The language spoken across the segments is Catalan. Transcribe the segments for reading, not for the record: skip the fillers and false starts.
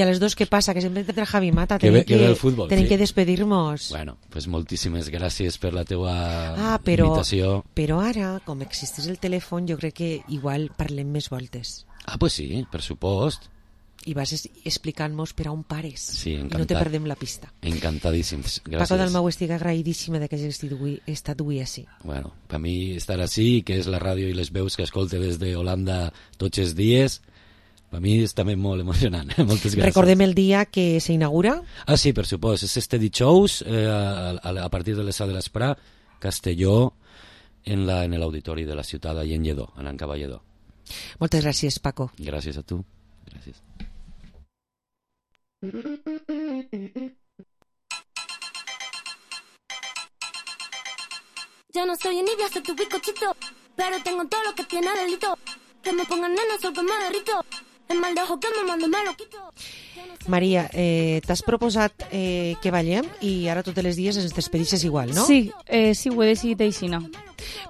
I a les dos, què passa? Que sempre entra Javi Mata. Que ve el futbol. Tenim que despedir-nos. Bueno, pues moltíssimes gràcies per la teua invitació. Però ara, com existeix el telèfon, jo crec que igual parlem més voltes. Pues sí, per supost. I vas explicant-nos per on pares. Sí, encantat. I no te perdem la pista. Encantadíssims, gràcies. Paco Dalmau, estic agraïdíssima que hagis estat avui així. Bueno, per mi estar així, que és la ràdio i les veus que escolte des d'Holanda tots els dies, per mi és també molt emocionant. Moltes gràcies. Recordem el dia que s'inaugura? Sí, per supost. És este dijous, a partir de les 7 de l'Esprà, Castelló, en l'auditori de la ciutat, allà en Lledó, en Cavallledó. Moltes gràcies, Paco. Gràcies a tu. Gràcies. Yo no soy envidia, soy tu bizcochito, pero tengo todo lo que tiene delito. Que me pongan nena, sol que me derrito. El mal de ojo que me mando me lo quito. Maria, t'has proposat que ballem i ara tots els dies ens despedixes igual, no? Sí, sí, ho he decidit així, no?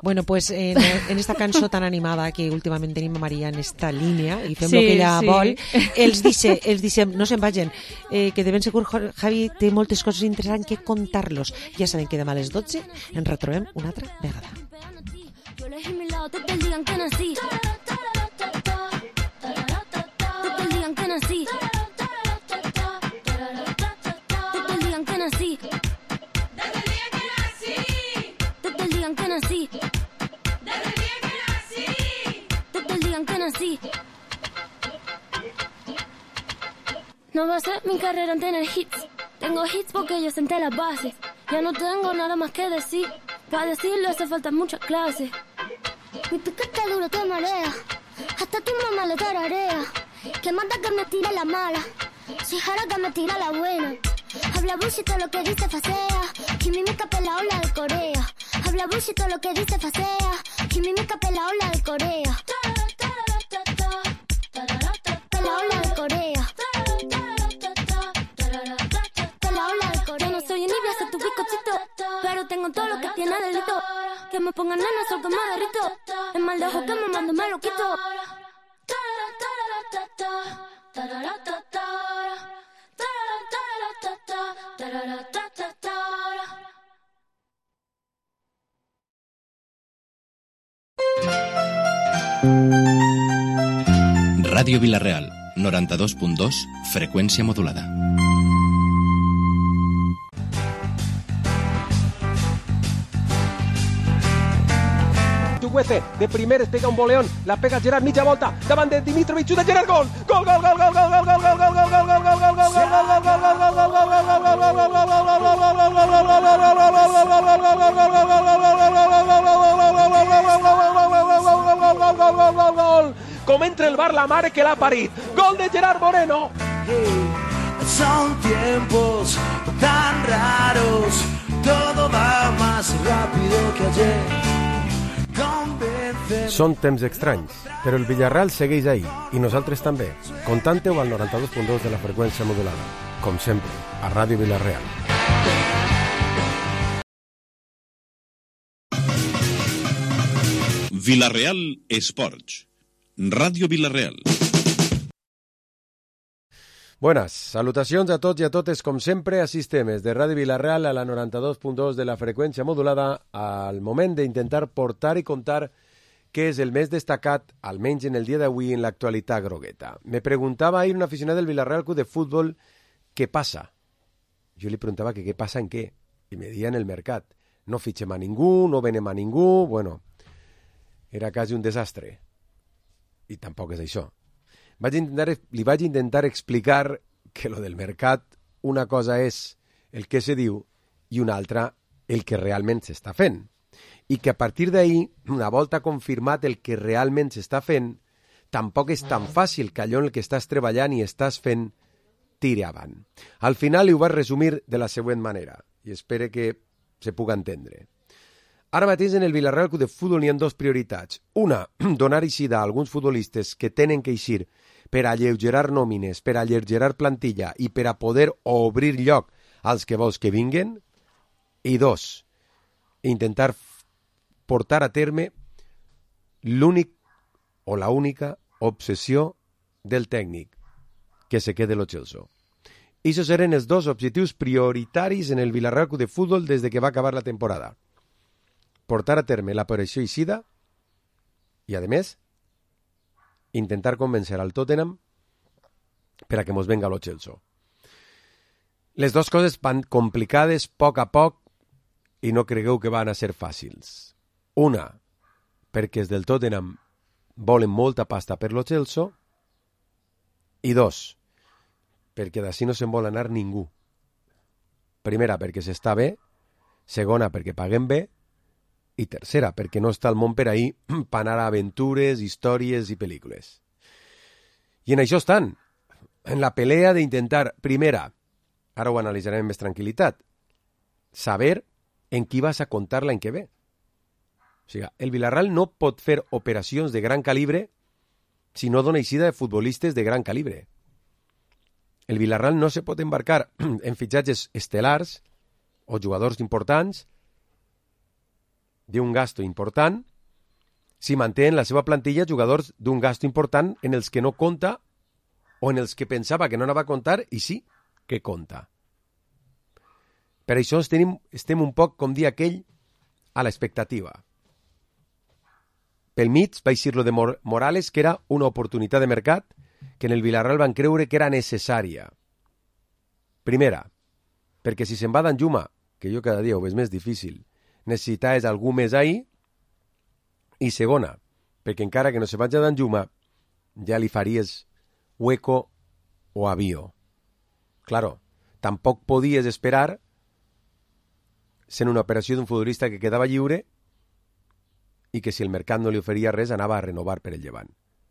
Bueno, pues en esta cançó tan animada que últimament tenim a Maria en esta línia i fem el que ella vol, els dicem, no se'n vagin, que de ben segur Javi té moltes coses interessants que contar-los. Ja sabem que demà a les 12 ens retrobem una altra vegada. Yo elegí mi lado desde el día en que nací. Desde el día en que nací. Desde el día en que nací. Desde el día en que nací. Desde el día en que nací. No va a ser mi carrera en tener hits. Tengo hits porque yo senté las bases. Ya no tengo nada más que decir. Para decirlo hace falta muchas clases. Mi piquete duro te marea. Hasta tu mamá le tararea. Que manda que me tire la mala. Si jara que me tira la buena. Habla bullshit todo lo que dice facea. Kimimica pela ola de Corea. Habla bullshit todo lo que dice facea. Kimimica pela ola de Corea. Pela ola de Corea. Pela ola de Corea. Yo no soy envidia, soy tu bizcochito, pero tengo todo lo que tiene delito. Que me pongan nena, sol que me derrito. El mal de ojo que me mando me lo quito. Ràdio Vila-real, 92.2, freqüència modulada. Chukwueze, de primer pega un boleón, la pega Gerard, mitja volta, davant de Dimitrovic, xuta Gerard, gol! Gol, gol, gol, gol, gol, gol, gol, gol, gol, gol, gol, gol, gol, gol, gol, com entra el bar la mare que l'ha parit, gol de Gerard Moreno. Son tiempos tan raros, todo va más rápido que ayer. Són temps estranys, però el Villarreal segueix ahí, i nosaltres també. Contante-ho al 92.2 de la freqüència modulada. Com sempre, a Ràdio Vila-real. Vila-real Esports. Ràdio Vila-real. Buenas, salutacions a tots i a totes, com sempre, així estem, de Ràdio Vila-real a la 92.2 de la freqüència modulada, al moment d'intentar portar i contar què és el més destacat, almenys en el dia d'avui, en l'actualitat grogueta. Me preguntava ahir un aficionat del Villarreal Club de Futbol què passa. Jo li preguntava que què passa en què, i me deia en el mercat. No fitxem a ningú, no venem a ningú, bueno, era quasi un desastre. I tampoc és això. Li vaig intentar explicar que lo del mercat, una cosa és el que se diu i una altra el que realment s'està fent. I que a partir d'ahir, una volta confirmat el que realment s'està fent, tampoc és tan fàcil que allò en el que estàs treballant i estàs fent tiri avant. Al final ho vaig resumir de la següent manera, i espero que se puga entendre. Ara mateix en el Villarreal Club de Futbol n'hi ha dues prioritats. Una, donar eixida a alguns futbolistes que tenen que eixir per alleugerar nòmines, per alleugerar plantilla i per a poder obrir lloc als que vols que vinguen. I dos, intentar portar a terme l'únic o la única obsessió del tècnic, que se quede lo Chelsea. Esos eren els dos objectius prioritaris en el Villarreal Club de Fútbol des de que va acabar la temporada. Portar a terme l'operació eixida i, a més, intentar convèncer al Tottenham per a que mos venga lo Chelsea. Les dues coses van complicades poc a poc i no cregueu que van a ser fàcils. Una, perquè els del Tottenham volen molta pasta per lo Chelsea, i dos, perquè d'ací no se'n vol anar ningú. Primera, perquè s'està bé, segona, perquè paguem bé, i tercera, perquè no està el món per ahir per anar a aventures, històries i pel·lícules. I en això estan, en la pelea d'intentar, primera, ara ho analitzarem amb més tranquil·litat, saber en qui vas a comptar l'any que ve. O sigui, el Villarreal no pot fer operacions de gran calibre si no dona eixida de futbolistes de gran calibre. El Villarreal no se pot embarcar en fitxatges estel·lars o jugadors importants d'un gasto important si manté en la seva plantilla jugadors d'un gasto important en els que no compta o en els que pensava que no anava a comptar i sí que compta. Per això estem un poc, com dir aquell, a l'expectativa. Pel mig va eixir lo de Morales, que era una oportunitat de mercat que en el Villarreal van creure que era necessària. Primera, perquè si se'n va Danjuma, que jo cada dia ho veig més difícil, necessitaves algú més ahí. I segona, perquè encara que no se vaig a Danjuma, ja li faries hueco o avió. Claro, tampoc podies esperar sent una operació d'un futbolista que quedava lliure i que si el mercat no li oferia res anava a renovar per el Llevant.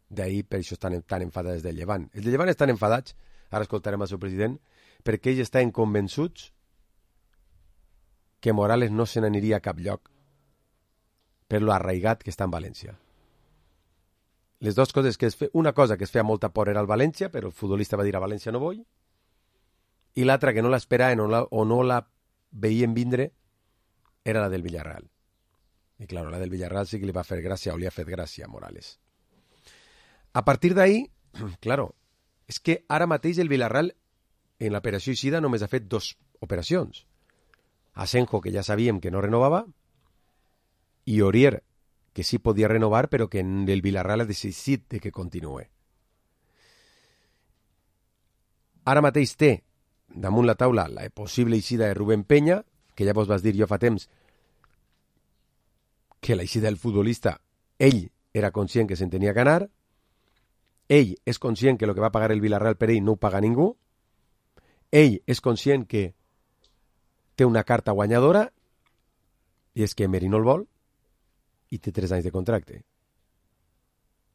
D'ahir per això estan tan enfadats del Llevant. Els del Llevant estan enfadats, ara escoltarem el seu president, perquè ells estan convençuts que Morales no se n'aniria a cap lloc per lo arraigat que està en València. Les dues coses que una cosa que es feia molta por era el València, però el futbolista va dir a València no vull, i l'altra que no l'esperaven o no la veien vindre era la del Villarreal. I clar, la del Villarreal sí que li va fer gràcia o li ha fet gràcia a Morales. A partir d'ahí, claro, és que ara mateix el Villarreal en l'operació eixida només ha fet 2 operacions. Asenjo, que ja sabíem que no renovava, i Aurier, que sí podia renovar, però que el Villarreal ha decidit de que continuï. Ara mateix té damunt la taula la possible eixida de Rubén Peña, que ja vos vas dir jo fa temps que l'eixida del futbolista, ell era conscient que se'n tenia que anar, ell és conscient que el que va pagar el Villarreal per ell no ho paga ningú, ell és conscient que té una carta guanyadora i és que Emery no el vol i té 3 anys de contracte.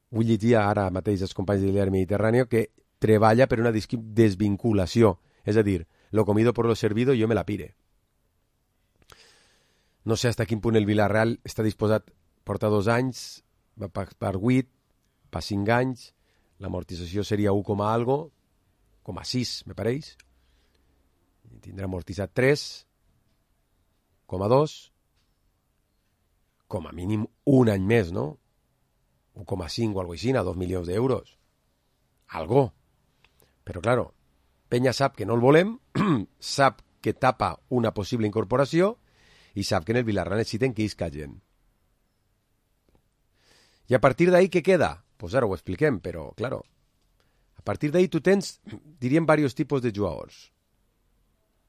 Vull llegir ara mateix els companys de l'Iar Mediterráneo que treballa per una desvinculació, és a dir, lo comido por lo servido i jo me la pire. No sé fins quin punt el Villarreal està disposat a portar 2 anys, va per 8, per 5 anys, l'amortització seria 1, algo, 6, me pareix. Tindrà amortitzat 3, 2, com a mínim un any més, no? 1,5 o algo així, 2 milions d'euros. Algo. Però, claro, Peña sap que no el volem, sap que tapa una possible incorporació i sap que en el Villarreal necessiten que isca gent. I a partir d'ahí, què queda? Pues ara ho expliquem, però, claro, a partir d'ahí tu tens, diríem, diversos tipus de jugadors.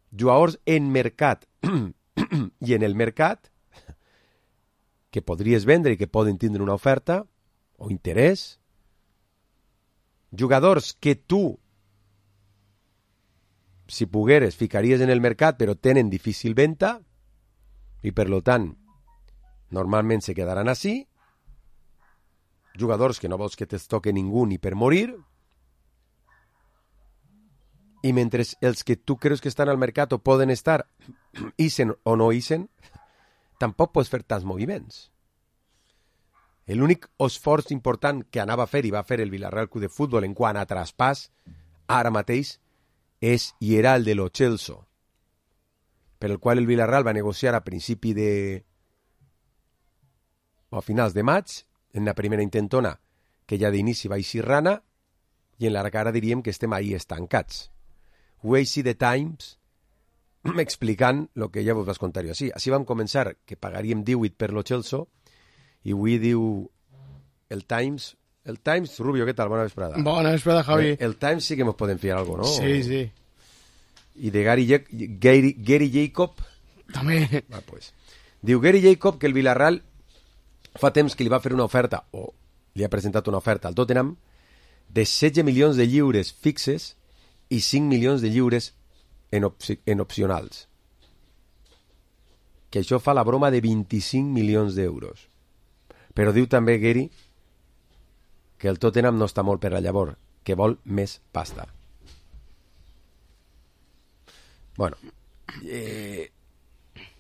Jugadors en mercat i en el mercat que podries vendre i que poden tindre una oferta o interès. Jugadors que tu, si pogueres, ficaries en el mercat però tenen difícil venda i per lo tant normalment se quedaran així. Jugadors que no vols que te'ls toque ningú ni per morir. I mentre els que tu creus que estan al mercat o poden estar, ixen o no ixen, tampoc pots fer tants moviments. L'únic esforç important que anava a fer i va fer el Villarreal Club de Futbol en quant a traspàs, ara mateix, és i era el de Lo Celso, per el qual el Villarreal va negociar a principi de... o a finals de maig, en la primera intentona, que ja d'inici va eixir rana, i en la cara diríem que estem ahí estancats. Ho vaig The Times explicant el que ja vos vas contar jo. Així vam començar, que pagaríem 18 per lo Chelsea, i avui diu el Times... El Times, Rubio, què tal? Bona vesprada. Bona vesprada, Javi. El Times sí que mos podem fiar algo, no? Sí, sí. I de Gary Jacob... També. Pues. Diu Gary Jacob que el Villarreal fa temps que li va fer una oferta, o li ha presentat una oferta al Tottenham, de 16 milions de lliures fixes i 5 milions de lliures en opcionals. Que això fa la broma de 25 milions d'euros. Però diu també Gary que el Tottenham no està molt per la llavor, que vol més pasta. Bueno,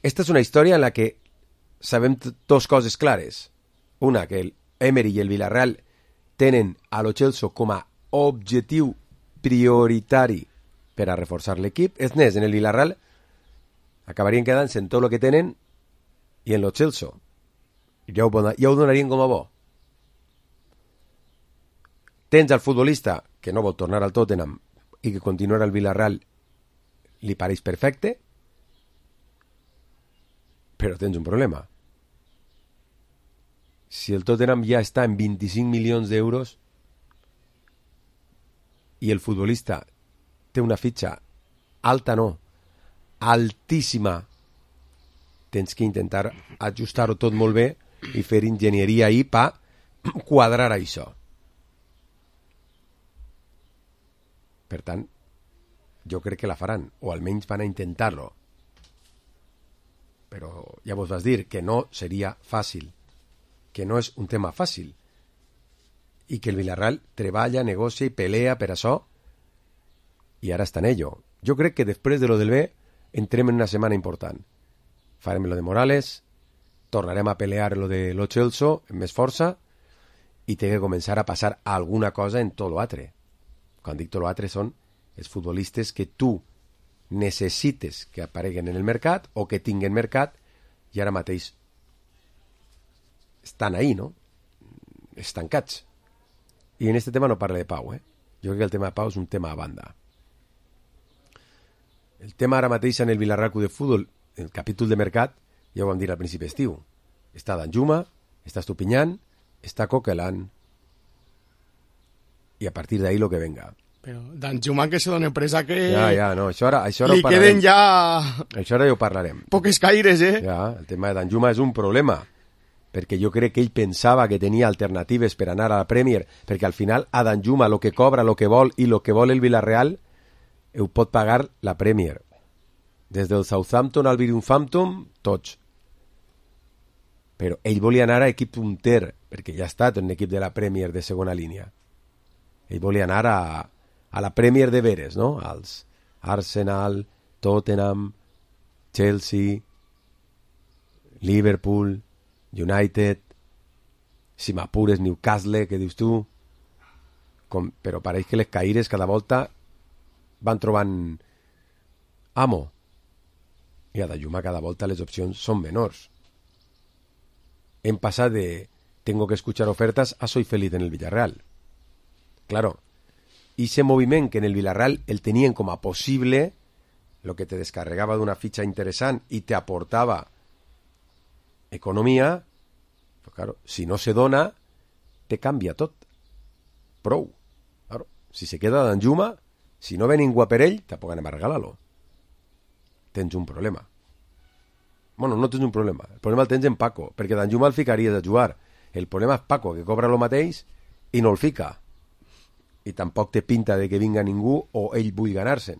esta és una història en la que sabem dos coses clares. Una, que el Emery i el Villarreal tenen a lo Chelsea com a objectiu prioritari per a reforçar l'equip. És més, en el Villarreal acabarien quedant-se en tot el que tenen i en lo Chelsea ja ho donarien com a bo. Tens al futbolista que no vol tornar al Tottenham i que continuar al Villarreal li pareix perfecte, però tens un problema. Si el Tottenham ja està en 25 milions d'euros i el futbolista té una fitxa alta, no, altíssima, tens que intentar ajustar-ho tot molt bé i fer enginyeria ahí per quadrar això. Per tant, jo crec que la faran, o almenys van a intentar-lo. Però ja vos vas dir que no seria fàcil, que no és un tema fàcil, i que el Villarreal treballa, negocia i pelea per això, i ara està en ello. Jo crec que després de lo del B entrem en una setmana important. Farem lo de Morales, tornarem a pelear lo de lo Chelsea amb més força, i té que començar a passar alguna cosa en tot l'altre. Quan dic tot l'altre són els futbolistes que tu necessites que apareguen en el mercat o que tinguen mercat i ara mateix estan ahí, no? Estancats. I en aquest tema no parla de Pau, eh? Jo crec que el tema de Pau és un tema a banda. El tema ara mateix en el Villarreal Club de Futbol, el capítol de mercat, ja ho vam dir al principi d'estiu. Està Danjuma, està Estupiñán, està Coquelin, i a partir d'ahí lo que venga. Però Danjuma que se dona presa que... Ja, no, això ara li queden ja... Això ara ja ho parlarem. Poques caires, eh? Ja, el tema de Danjuma és un problema, perquè jo crec que ell pensava que tenia alternatives per anar a la Premier, perquè al final a Danjuma lo que cobra, lo que vol i lo que vol el Villarreal ho pot pagar la Premier. Des del Southampton al Wolverhampton, tots. Però ell volia anar a equip punter, perquè ja ha estat en un equip de la Premier de segona línia. Ell volia anar a la Premier de veres, no? Als Arsenal, Tottenham, Chelsea, Liverpool, United, si m'apures Newcastle, que dius tu, però pareix que les caires cada volta van trobant amo, i a Danjuma cada volta les opcions són menors. Hem passat de tengo que escuchar ofertas a soy feliz en el Villarreal. Claro, y ese moviment que en el Villarreal el tenien com a possible, lo que te descarregava d'una fitxa interessant i te aportava economia, però claro, si no se dona, te canvia tot. Prou. Claro, si se queda Danjuma, si no ve ningú per ell, tampoc anem a regalar-lo. Tens un problema. Bueno, no tens un problema. El problema el tens en Paco, perquè Danjuma el ficaries a jugar. El problema és Paco, que cobra lo mateix i no el fica. I tampoc té pinta de que vinga ningú o ell vull ganar-se'n.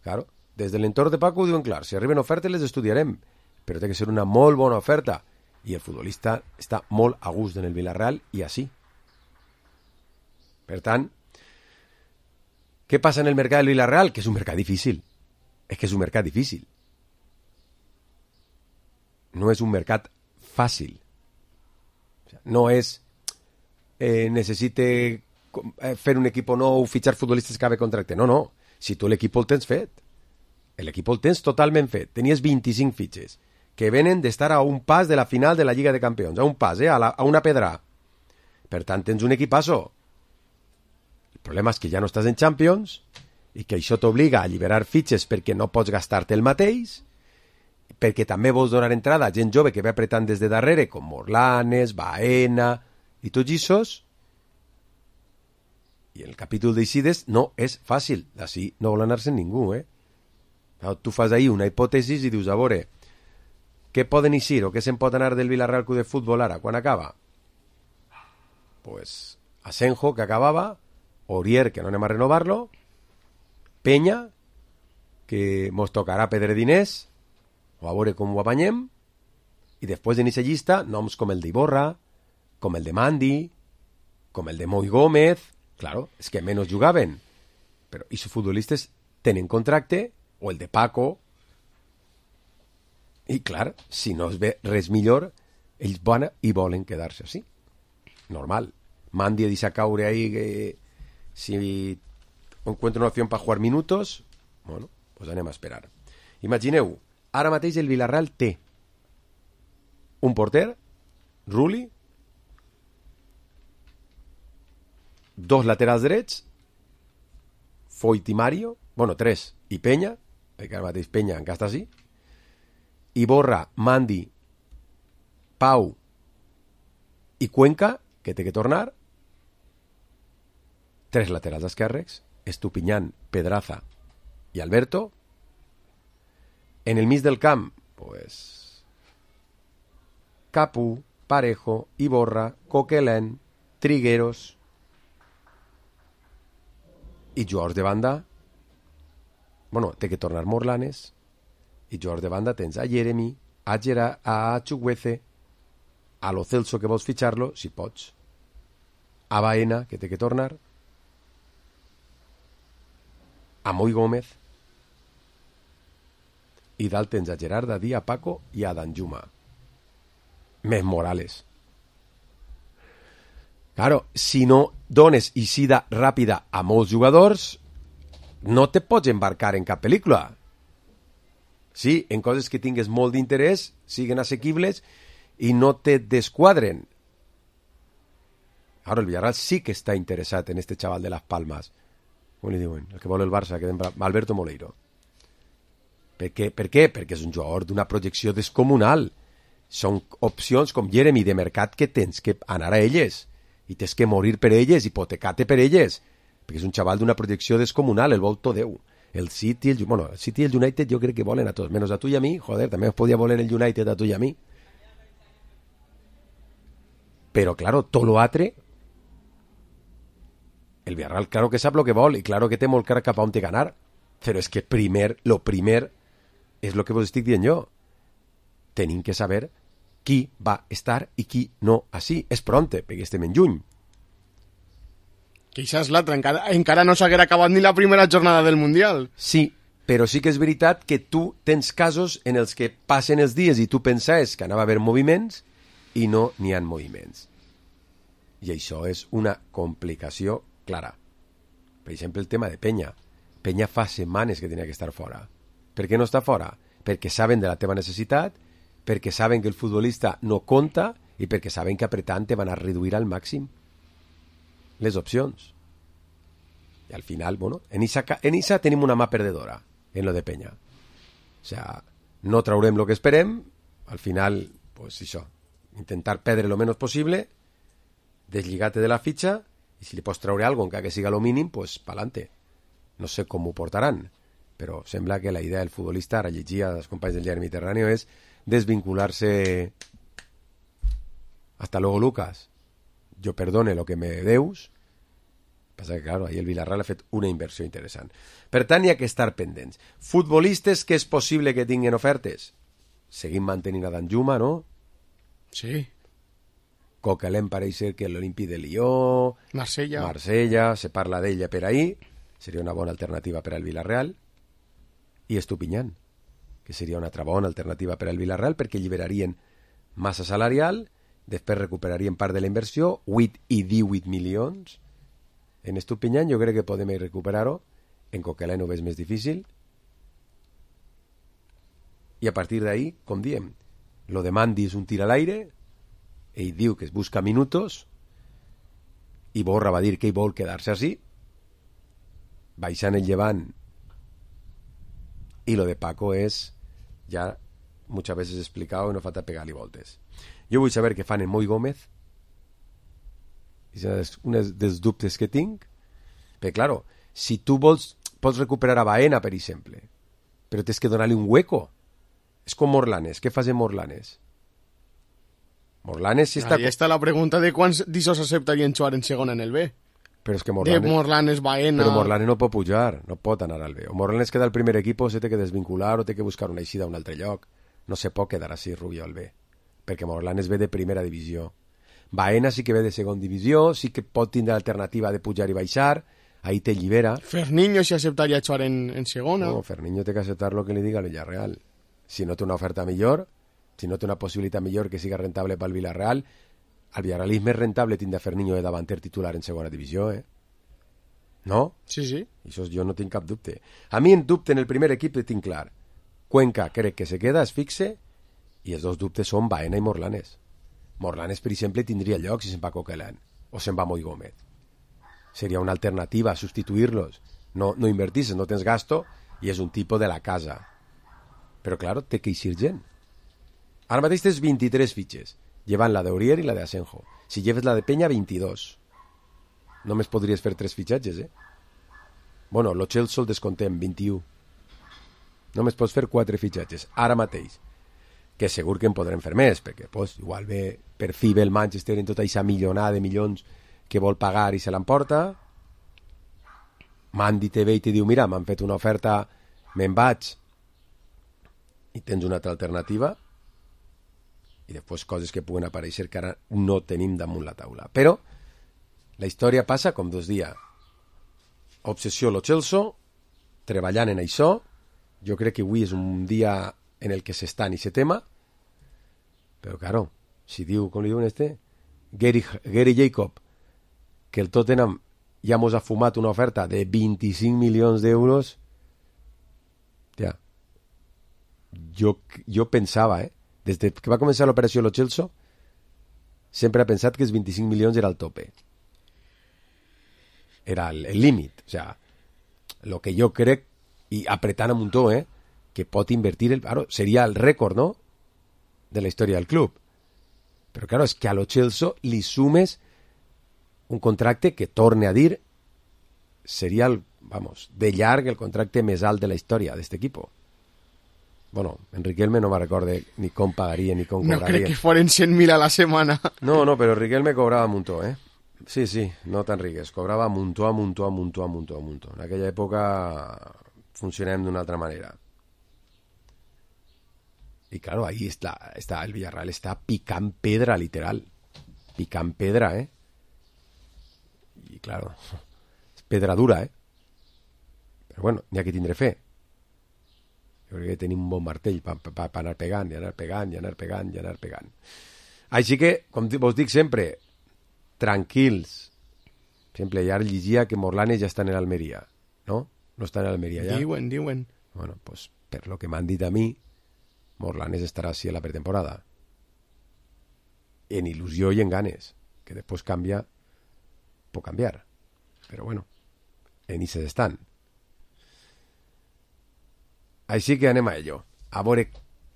Claro, des de l'entorn de Paco ho diuen clar, si arriben ofertes les estudiarem, però té que ser una molt bona oferta. I el futbolista està molt a gust en el Villarreal i així. Per tant, què passa en el mercat del Villarreal? Que és un mercat difícil. És que és un mercat difícil. No és un mercat fàcil. No és necessite fer un equip nou, fitxar futbolistes que acabe contracte. No, no. Si tu l'equip el tens fet. L'equip el tens totalment fet. Tenies 25 fitxes que venen d'estar a un pas de la final de la Lliga de Campions. A un pas, a una pedra. Per tant, tens un equipasso. El problema és que ja no estàs en Champions i que això t'obliga a alliberar fitxes perquè no pots gastar-te el mateix, perquè també vols donar entrada a gent jove que ve apretant des de darrere, com Morlanes, Baena i tots aquests. I el capítol d'Eixides no és fàcil. D'ací no vol anar-se'n ningú, Tu fas ahir una hipòtesis i dius, a veure, què poden eixir o què se'n pot anar del Villarreal Club de Futbol ara, quan acaba? Pues Asenjo, que acabava, Orier, que no anem a renovar-lo, Peña, que mos tocarà perdre diners, o a veure com ho apanyem, i després en aquesta llista noms com el d'Iborra, com el de Mandi, com el de Moi Gómez. Claro, és que menys jugaven, però aquests futbolistes tenen contracte, o el de Paco, i clar, si no es ve res millor, ells van i volen quedar-se així. Normal. Mandi deixa caure ahí que si encuentra una opció per jugar minutos, bueno, pues anem a esperar. Imagineu, ara mateix el Villarreal té un porter, Rulli, 2 laterals drets, Foyt i Mario, bueno, 3, i Peña, perquè ara mateix Peña encara està així, Iborra, Mandi, Pau i Cuenca, que té que tornar, 3 laterals esquerres, Estupiñán, Pedraza i Alberto. En el mig del camp, pues, Capu, Parejo, Iborra, Coquelin, Trigueros i jugadors de banda. Bueno, té que tornar Morlanes, i jugadors de banda tens a Jeremy, a Chukwueze, a Lo Celso, que vols fitxar-lo, si pots, a Baena, que té que tornar, a Moi Gómez, i dalt tens a Gerard Dadí, a Paco i a Danjuma. Més Morales. Claro, si no dones eixida ràpida a molts jugadors, no te pots embarcar en cap pel·lícula. Sí, en coses que tingues molt d'interès, siguen assequibles i no te desquadren. Ara el Villarreal sí que està interessat en este chaval de Las Palmas. Com li diuen? El que vol el Barça, que Alberto Moleiro. Per què? Perquè és un jugador d'una projecció descomunal. Són opcions com Jeremy de mercat que tens que anar a elles i tens que morir per elles, hipotecar-te per elles, perquè és un xaval d'una projecció descomunal, el vol tot Déu. El City, el City i el United jo crec que volen a tots, menys a tu i a mi, joder, també es podia voler el United a tu i a mi. Però, claro, tot lo altre, el Villarreal claro que sap lo que vol i claro que té molt clar cap a on té ganar, però és que lo primer és lo que vos estic dient jo. Tenim que saber qui va estar i qui no així. És pronte, perquè estem en juny. Que això és l'altre, encara no s'haguera acabat ni la primera jornada del Mundial. Sí, però sí que és veritat que tu tens casos en els que passen els dies i tu pensaves que anava a haver moviments i no n'hi ha moviments. I això és una complicació clara. Per exemple, el tema de Peña. Peña fa setmanes que tenia que estar fora. Per què no està fora? Perquè saben de la teva necessitat, perquè saben que el futbolista no compta i perquè saben que apretant te van a reduir al màxim les opcions. I al final, bueno, en Issa tenim una mà perdedora en lo de Peña. O sea, no traurem lo que esperem, al final, pues això, intentar perdre lo menos possible, deslligar-te de la fitxa, i si li pots traure algo, encara que siga lo mínim, pues pa'lante. No sé com ho portaran, però sembla que la idea del futbolista, ara llegia als companys del diari Mediterráneo, és desvincular-se. Hasta luego, Lucas. Yo perdone lo que me deus. Passa que, claro, ahí el Villarreal ha fet una inversió interessant. Per tant, hi ha que estar pendents. Futbolistes que és possible que tinguin ofertes. Seguim mantenint a Danjuma, no? Sí. Coquelin pareix ser que l'Olympi de Lió, Marsella, se parla d'ella per ahí, seria una bona alternativa per al Villarreal, i Estupiñán, que seria una altra bona alternativa per al Villarreal perquè alliberarien massa salarial, després recuperarien part de la inversió, 8 i 18 milions. En Estupiñán jo crec que podem recuperar-ho, en Coquelin ho veig més difícil, i a partir d'ahí, com diem, lo de Mandi és un tir a l'aire, ell diu que es busca minutos, i Borra va dir que ell vol quedar-se així, baixant el Llevant, y lo de Paco es ya muchas veces explicado y no falta pegar-li voltes. Jo vull saber què fan en Moi Gómez, és un dels dubtes que tinc, perquè claro, si tu pots recuperar a Baena, per exemple, però tens que donar-li un hueco. És com Morlanes. Què fas en Morlanes? Morlanes si està... Ahí està la pregunta de quants d'ixos acceptarien jugar en segona en el B. Però és que Morlanes, Baena... Però Morlanes no pot pujar, no pot anar al B. O Morlanes queda al primer equip, se té que desvincular o té que buscar una eixida a un altre lloc. No se pot quedar així Rubio al B, perquè Morlanes ve de primera divisió. Baena sí que ve de segona divisió, sí que pot tindre alternativa de pujar i baixar, ahí te llibera. Ferniño si acceptaria jugar en segona. No, Ferniño té que acceptar lo que li diga el Villarreal. Si no té una oferta millor, si no té una possibilitat millor que siga rentable pel Villarreal, el Villarreal és més rentable tindre Ferniño de davanter titular en segona divisió, No? Sí, sí. Això jo no tinc cap dubte. A mi en dubte en el primer equip el tinc clar. Cuenca crec que se queda, es fixe, i els dos dubtes són Baena i Morlanes. Morlanes, per exemple, tindria lloc si se'n va Coquelin o se'n va Moi Gómez. Seria una alternativa a substituir-los. No invertisses, no tens gasto i és un tipus de la casa. Però, claro, té que eixir gent. Ara mateix tens 23 fitxes, llevant la d'Aurier i la d'Asenjo. Si lleves la de Peña, 22. Només podries fer 3 fitxatges, Bueno, lo Chelsea el descontem, 21. Només pots fer 4 fitxatges, ara mateix. Que segur que en podrem fer més, perquè igual ve per fi ve el Manchester en tota aquesta millonada de milions que vol pagar i se l'emporta. Mandy te ve i te diu, mira, m'han fet una oferta, me'n vaig, i tens una altra alternativa, i després coses que puguen aparèixer que ara no tenim damunt la taula. Però la història passa com 2 dies. Obsessió lo Chelsea, treballant en això. Jo crec que avui és un dia en el que s'està en aquest tema, però claro, si diu, com li diuen Gary Jacob, que el Tottenham ja mos ha fumat una oferta de 25 milions d'euros, ja, jo pensava, des que va començar l'operació Lo Chelsea, sempre he pensat que els 25 milions era el tope. Era el límit. O sea, lo que jo crec, i apretant a muntó, que pot invertir, seria el rècord, no?, de la història del club. Però, claro, és que a Lo Chelsea li sumes un contracte que, torne a dir, seria, de llarg, el contracte més alt de la història d'aquest equip. Bueno, Riquelme no me recorde ni com pagaria ni com cobraria. No crec que foren 100.000 a la setmana. No, però Riquelme cobrava muntó, Sí, no tan riques. Cobrava muntó. En aquella època funcionem d'una altra manera. Y claro, ahí está el Villarreal, está picant pedra, literal. Picant pedra, Y claro, és pedra dura, Però bueno, n'hi ha que tindre fe. Jo crec que tenim un bon martell per anar pegant, i anar pegant. Així que, com vos dic sempre, tranquils. Sempre ja llegia que Morlanes ja està en l'Almeria, no? No està en l'Almeria ja? Diuen. Bueno, pues per lo que m'han dit a mi, Morlanes estarà així a la pretemporada. En il·lusió i en ganes. Que després canvia, pot canviar. Però bueno, en ixes estan. Així que anem a ello. A veure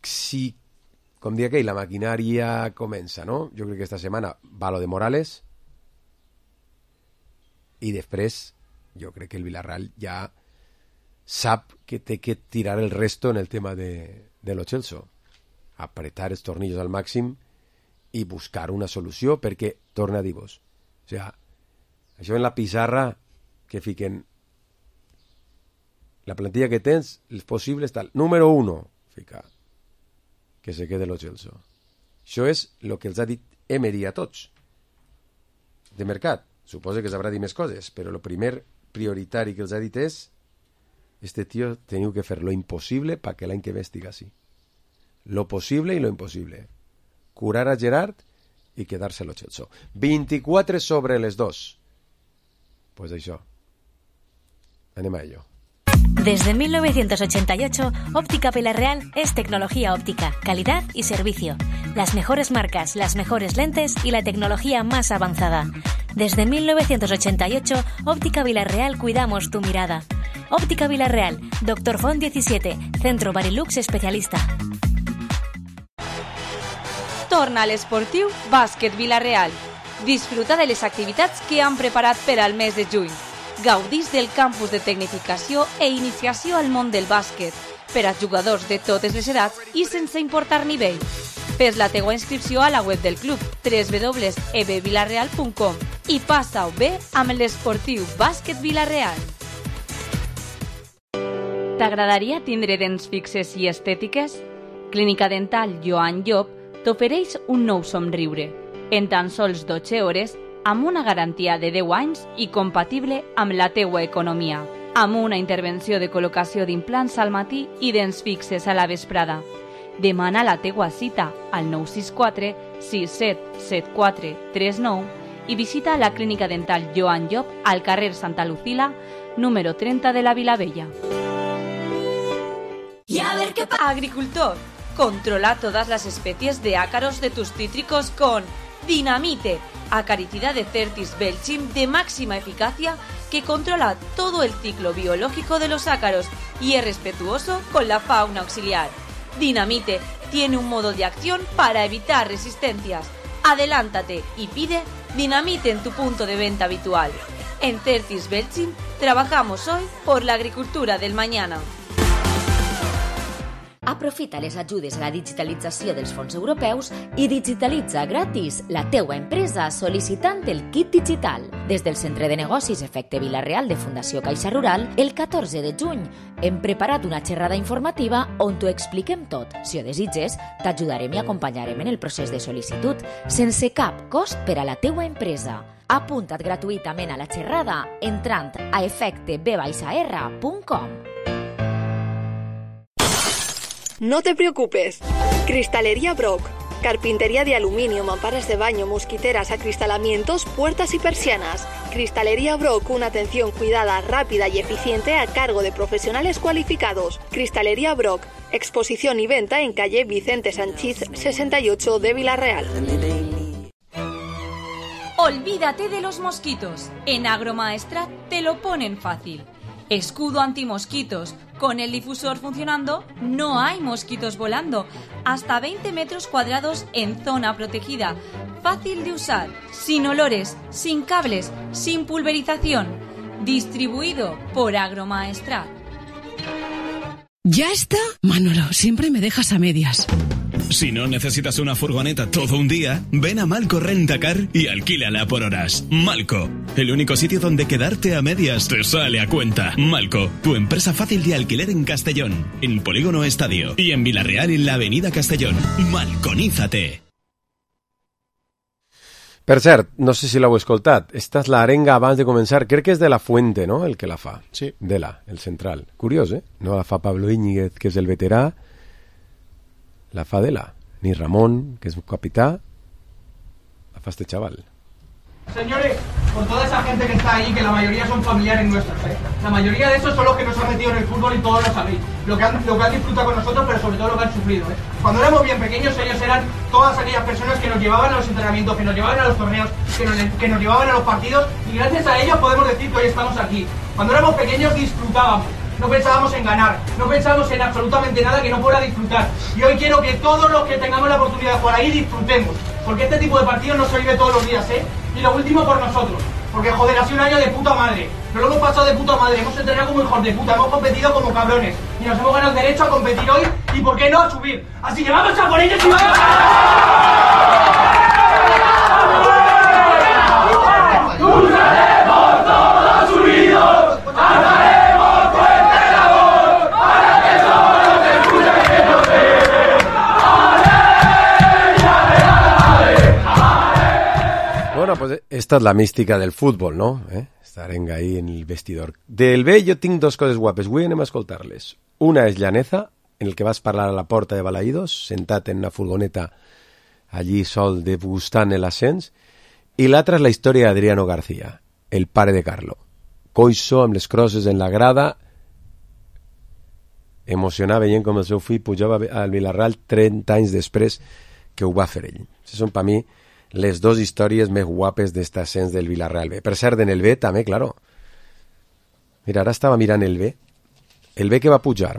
si, com dia aquell, la maquinària comença, no? Jo crec que esta setmana va lo de Morales i després jo crec que el Villarreal ja sap que té que tirar el resto en el tema de Lo Chelsea. Apretar els tornillos al màxim i buscar una solució, perquè, torna a dir-vos, o sea, això en la pissarra que fiquen la plantilla que tens, els possibles tal. Número 1, fica que se quede Lo Chelsea. Això és el que els ha dit Emery a tots de mercat. Suposo que sabrà dir més coses, però el primer prioritari que els ha dit és: este tío teniu que fer lo impossible perquè l'any que ve estigui així. Lo possible i lo impossible. Curar a Gerard i quedar-se Lo Chelsea. 24 sobre les 2. Pues això. Anem a ello. Desde 1988, Óptica Villarreal es tecnología óptica, calidad y servicio. Las mejores marcas, las mejores lentes y la tecnología más avanzada. Desde 1988, Óptica Villarreal cuidamos tu mirada. Óptica Villarreal, Dr. Font 17, Centro Barilux especialista. Torna a l'esportiu Bàsquet Vila-real. Disfruta de les activitats que han preparat per al mes de juny. Gaudís del campus de tecnificació e iniciació al món del bàsquet per a jugadors de totes les edats i sense importar nivell. Fes la teua inscripció a la web del club www.ebvilarreal.com i passa-ho bé amb l'esportiu Bàsquet Vila-real. T'agradaria tindre dents fixes i estètiques? Clínica Dental Joan Llop t'ofereix un nou somriure, en tan sols 12 hores, amb una garantia de 10 anys i compatible amb la teua economia, amb una intervenció de col·locació d'implants al matí i dents fixes a la vesprada. Demana la teua cita al 964 6774 39 i visita la Clínica Dental Joan Llop al carrer Santa Lucila, número 30 de la Vilavella. Y a ver qué pasa. Agricultor, controla todas las especies de ácaros de tus cítricos con Dinamite, acaricida de Certis Belchim de máxima eficacia que controla todo el ciclo biológico de los ácaros y es respetuoso con la fauna auxiliar. Dinamite tiene un modo de acción para evitar resistencias. Adelántate y pide Dinamite en tu punto de venta habitual. En Certis Belchim trabajamos hoy por la agricultura del mañana. Aprofita les ajudes a la digitalització dels fons europeus i digitalitza gratis la teua empresa sol·licitant el kit digital. Des del Centre de Negocis Efecte Vila-real de Fundació Caixa Rural, el 14 de juny hem preparat una xerrada informativa on t'ho expliquem tot. Si ho desitges, t'ajudarem i acompanyarem en el procés de sol·licitud sense cap cost per a la teua empresa. Apunta't gratuïtament a la xerrada entrant a efecteb-r.com. No te preocupes. Cristalería Brock. Carpintería de aluminio, mamparas de baño, mosquiteras, acristalamientos, puertas y persianas. Cristalería Brock, una atención cuidada, rápida y eficiente a cargo de profesionales cualificados. Cristalería Brock. Exposición y venta en calle Vicente Sanchís 68 de Vila-real. Olvídate de los mosquitos. En Agromaestrat te lo ponen fácil. Escudo antimosquitos. Con el difusor funcionando, no hay mosquitos volando. Hasta 20 metros cuadrados en zona protegida. Fácil de usar, sin olores, sin cables, sin pulverización. Distribuido por Agromaestrat. ¿Ya está? Manolo, siempre me dejas a medias. Si no necesitas una furgoneta todo un día, ven a Malco Rentacar y alquílala por horas. Malco, el único sitio donde quedarte a medias te sale a cuenta. Malco, tu empresa fácil de alquiler en Castellón, en Polígono Estadio y en Vila-real en la Avenida Castellón. Malconízate. Per cert, no sé si l'heu escoltat, esta és l'arenga abans de començar, crec que és de La Fuente, no?, el que la fa. Sí. Dela, el central. Curiós, No la fa Pablo Íñiguez, que és el veterà, la fa Dela. Ni Ramón, que es capitán, la fa este chaval. Señores, por toda esa gente que está ahí, que la mayoría son familiares nuestros, La mayoría de esos son los que nos han metido en el fútbol y todos lo sabéis. Lo que han disfrutado con nosotros, pero sobre todo lo que han sufrido, Cuando éramos bien pequeños, ellos eran todas aquellas personas que nos llevaban a los entrenamientos, que nos llevaban a los torneos, que nos llevaban a los partidos, y gracias a ellos podemos decir que hoy estamos aquí. Cuando éramos pequeños disfrutábamos. No pensábamos en ganar, no pensábamos en absolutamente nada que no fuera disfrutar. Y hoy quiero que todos los que tengamos la oportunidad de jugar ahí disfrutemos. Porque este tipo de partidos no se vive todos los días, Y lo último por nosotros. Porque joder, ha sido un año de puta madre. Nos lo hemos pasado de puta madre, hemos entrenado como hijos de puta, hemos competido como cabrones. Y nos hemos ganado el derecho a competir hoy y por qué no a subir. Así que vamos a por ellos y vamos ¡Lucharemos todos unidos! Bueno, pues esta és la mística del futbol, no? Esta arenga ahí en el vestidor. Del B jo tinc dos coses guapes, avui anem a escoltar-les. Una és Llaneza, en el que vas parlar a la porta de Balaïdos, sentat en una furgoneta allí sol degustant l'ascens, i l'altra és la història d'Adriano García, el pare de Carlo. Coixo, amb les crosses en la grada, emocionat veient com el seu fill pujava al Vila-real 30 anys després que ho va fer ell. Aquestes són per mi les dos històries més guapes d'este ascens del Villarreal B. Per cert, en el B també, claro. Mira, ara estava mirant el B. El B que va pujar